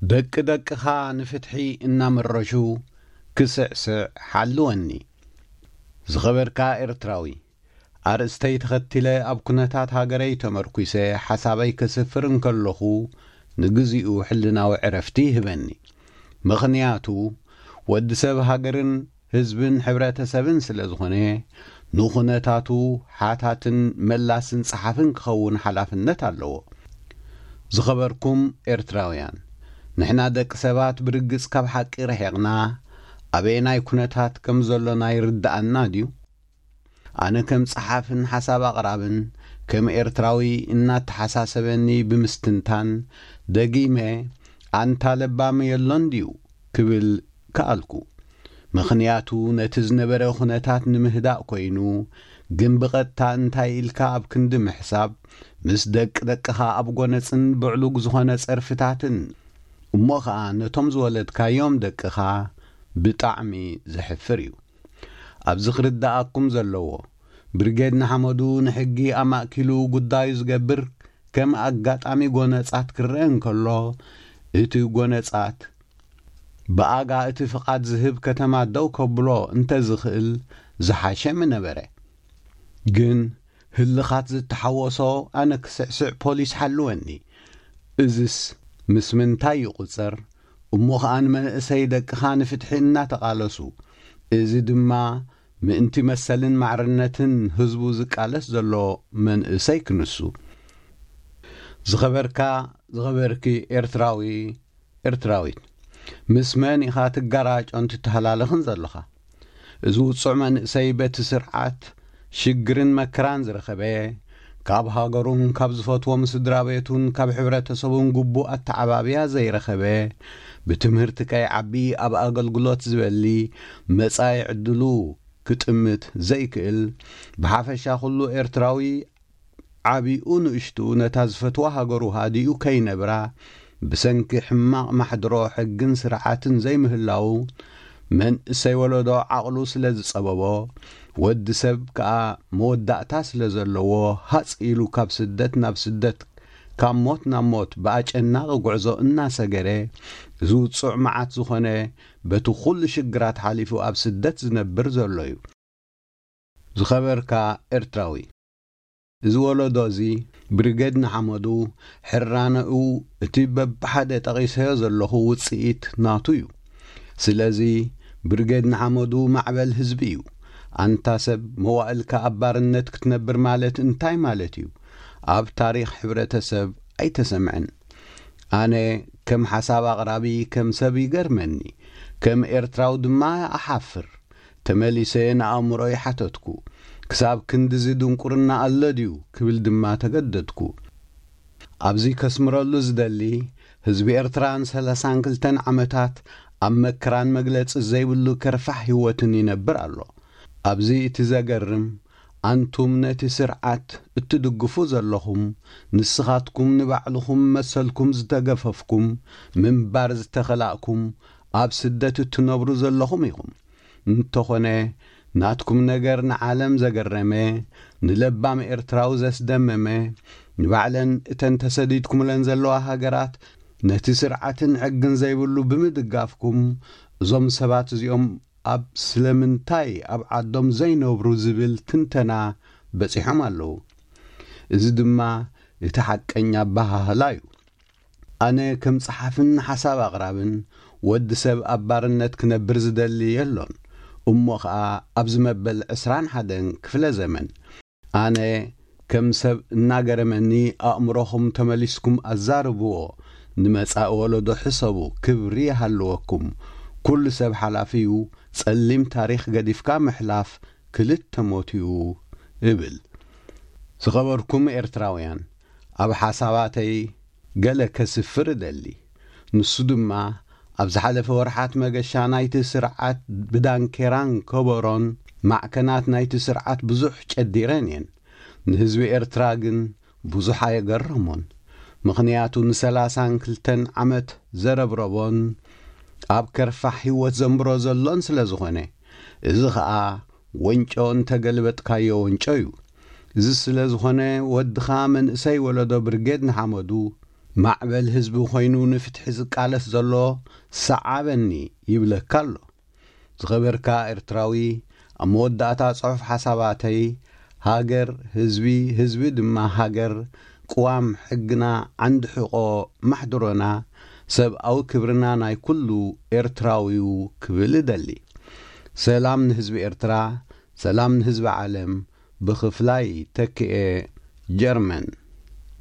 ደቂ ደቅኻ ንፍትሒ እናመረሹ ክስዕስዕ ሓልወኒ። ዝኸበርካ ኤርትራዊ፣ ኣርእስተይ ተኸቲለ ኣብ ኩነታት ሃገረይ ተመርኲሰ ሓሳበይ ከስፍር እንከለኹ፣ ንግዚኡ ሕልናዊ ዕረፍቲ ይህበኒ። ምኽንያቱ፣ ወዲ ሰብ ሃገርን ህዝብን ሕብረተሰብን ስለ ዝኾነ፣ ንኹነታቱ ሓታትን መላስን ጸሓፍን ክኸውን ሓላፍነት ኣለዎ። ዝኸበርኩም ኤርትራውያን፣ ንሕና ደቂ ሰባት ብርግጽ ካብ ሓቂ ርሒቕና፣ ኣበየናይ ኩነታት ከም ዘሎና ይርድኣና ድዩ? ኣነ ከም ጸሓፍን ሓሳብ ኣቕራብን፣ ከም ኤርትራዊ እናተሓሳሰበኒ ብምስትንታን፣ ደጊመ፣ ኣንታ ለባም የሎን ድዩ ክብል ከኣልኩ። ምኽንያቱ ነቲ ዝነበረ ኩነታት ንምህዳእ ኮይኑ፣ ግን ብቐጥታ እንታይ ኢልካ ኣብ ክንዲ ምሕሳብ፣ ምስ ደቂ ደቅኻ ኣብ ጎነጽን ብዕሉግ ዝኾነ ጸርፍታትን፣ እሞ ኸኣ ነቶም ዝወለድካዮም ደቅኻ ብጣዕሚ ዘሕፍር እዩ። ኣብዚ ክርድኣኩም ዘለዎ፣ ብርጌድ ንሓመዱ ንሕጊ ኣማእኪሉ ጉዳዩ ዝገብር ከም ኣጋጣሚ ጎነጻት ክረአ እንከሎ፣ እቲ ጎነጻት ብኣጋ እቲ ፍቓድ ዝህብ ከተማ ደው ከብሎ እንተ ዝኽእል ዝሓሸ ምነበረ። ግን ህልኻት ዝተሓወሶ ኣነ ክስዕስዕ ፖሊስ ሓልወኒ። እዝስ ምስ ምንታይ ይቑጸር? እሞ ኸኣ ንመንእሰይ ደቅኻ ንፍትሒ እናተቓለሱ፣ እዚ ድማ ምእንቲ መሰልን ማዕርነትን ህዝቡ ዝቃለስ ዘሎ መንእሰይ ክንሱ። ዝኸበርካ፣ ዝኸበርኪ ኤርትራዊ፣ ኤርትራዊት፣ ምስ መን ኢኻ ትጋራጮን ትተሃላለኽን ዘለኻ? እዚ ውጹዕ መንእሰይ በቲ ስርዓት ሽግርን መከራን ዝረኸበ፣ ካብ ሃገሩን ካብ ዝፈትዎም ስድራ ቤቱን ካብ ሕብረተሰቡን ግቡእ ኣተዓባብያ ዘይረኸበ፣ ብትምህርቲ ከይዓቢ ኣብ ኣገልግሎት ዝበሊ፣ መጻኢ ዕድሉ ክጥምት ዘይክእል፣ ብሓፈሻ ኩሉ ኤርትራዊ ዓቢኡ ንእሽቱ ነታ ዝፈትዋ ሃገሩ ሃዲኡ ከይነብራ፣ ብሰንኪ ሕማቕ ማሕድሮ ሕግን ስርዓትን ዘይምህላዉ፣ መንእሰይ ወለዶ ዓቕሉ ስለ ዝጸበቦ፣ ወዲ ሰብ ከኣ መወዳእታ ስለ ዘለዎ፣ ሃጽ ኢሉ ካብ ስደት ናብ ስደት፣ ካብ ሞት ናብ ሞት ብኣጨናቒ ጉዕዞ እናሰገረ፣ እዚ ውጹዕ መዓት ዝኾነ፣ በቲ ኩሉ ሽግራት ሓሊፉ ኣብ ስደት ዝነብር ዘሎ እዩ። ዝኸበርካ ኤርትራዊ፣ እዚ ወለዶ እዚ ብርጌድ ንሓመዱ ሕራነኡ እቲ በብሓደ ጠቒሰዮ ዘለኹ ውጽኢት ናቱ እዩ። ስለዚ ብርጌድ ንሓመዱ ማዕበል ህዝቢ እዩ። ኣንታ ሰብ መዋእልካ ኣብ ባርነት ክትነብር ማለት እንታይ ማለት እዩ? ኣብ ታሪኽ ሕብረተሰብ ኣይተሰምዐን። ኣነ ከም ሓሳብ ኣቕራቢ ከም ሰብ ይገርመኒ፣ ከም ኤርትራዊ ድማ እሓፍር። ተመሊሰ ንኣእምሮይ ሓተትኩ። ክሳብ ክንድዚ ድንቁርና ኣሎ ድዩ ክብል ድማ ተገደድኩ። ኣብዚ ከስምረሉ ዝደሊ፣ ህዝቢ ኤርትራ ንሰላሳን ክልተን ዓመታት ኣብ መከራን መግለጺ ዘይብሉ ከርፋሕ ህይወትን ይነብር ኣሎ። ኣብዚ እቲ ዘገርም፣ ኣንቱም ነቲ ስርዓት እትድግፉ ዘለኹም፣ ንስኻትኩም ንባዕልኹም መሰልኩም ዝተገፈፍኩም፣ ምንባር ዝተኸላእኩም፣ ኣብ ስደት እትነብሩ ዘለኹም ኢኹም። እንተኾነ፣ ናትኩም ነገር ንዓለም ዘገረመ፣ ንለባም ኤርትራዊ ዘስደመመ፣ ንባዕለን እተን ተሰዲድኩምለን ዘለዋ ሃገራት ነቲ ስርዓትን ሕግን ዘይብሉ ብምድጋፍኩም፣ እዞም ሰባት እዚኦም ኣብ ስለምንታይ ኣብ ዓዶም ዘይነብሩ ዝብል ትንተና በጺሖም ኣለዉ። እዚ ድማ እቲ ሓቀኛ ኣበሃህላ እዩ። ኣነ ከም ጸሓፍን ሓሳብ ኣቕራብን፣ ወዲ ሰብ ኣብ ባርነት ክነብር ዝደሊ የሎን። እሞ ኸኣ ኣብዚ መበል ዕስራን ሓደን ክፍለ ዘመን፣ ኣነ ከም ሰብ እናገረመኒ፣ ኣእምሮኹም ተመሊስኩም ኣዛርብዎ፣ ንመጻኢ ወለዶ ሕሰቡ፣ ክብሪ ይሃልወኩም። ኩሉ ሰብ ሓላፊ እዩ፣ ጸሊም ታሪኽ ገዲፍካ ምሕላፍ ክልተ ሞት እዩ እብል። ዝኸበርኩም ኤርትራውያን፣ ኣብ ሓሳባተይ ገለ ከስፍር እደሊ። ንሱ ድማ፣ ኣብ ዝሓለፈ ወርሓት መገሻ ናይቲ ስርዓት ብዳንኬራን ከበሮን ማዕከናት ናይቲ ስርዓት ብዙሕ ጨዲረን እየን። ንህዝቢ ኤርትራ ግን ብዙሕ ኣየገረሞን። ምኽንያቱ ንሰላሳን ክልተን ዓመት ዘረብረቦን ኣብ ከርፋሕ ህይወት ዘንብሮ ዘሎን ስለ ዝኾነ። እዚ ኸኣ ወንጮ እንተገልበጥካዮ ወንጮ እዩ። እዚ ስለ ዝኾነ ወድኻ መንእሰይ ወለዶ ብርጌድ ንሓመዱ ማዕበል ህዝቢ ኮይኑ ንፍትሒ ዝቃለስ ዘሎ ሰዓበኒ ይብለካ ኣሎ። ዝኸበርካ ኤርትራዊ፣ ኣብ መወዳእታ ጽሑፍ ሓሳባተይ፣ ሃገር፣ ህዝቢ፣ ህዝቢ ድማ ሃገር፣ ቅዋም ሕግና፣ ዓንዲ ሕቆ ማሕድሮና፣ ሰብኣዊ ክብርና ናይ ኩሉ ኤርትራዊው ክብል እደሊ። ሰላም ንህዝቢ ኤርትራ፣ ሰላም ንህዝቢ ዓለም። ብኽፍላይ ተክኤ ጀርመን።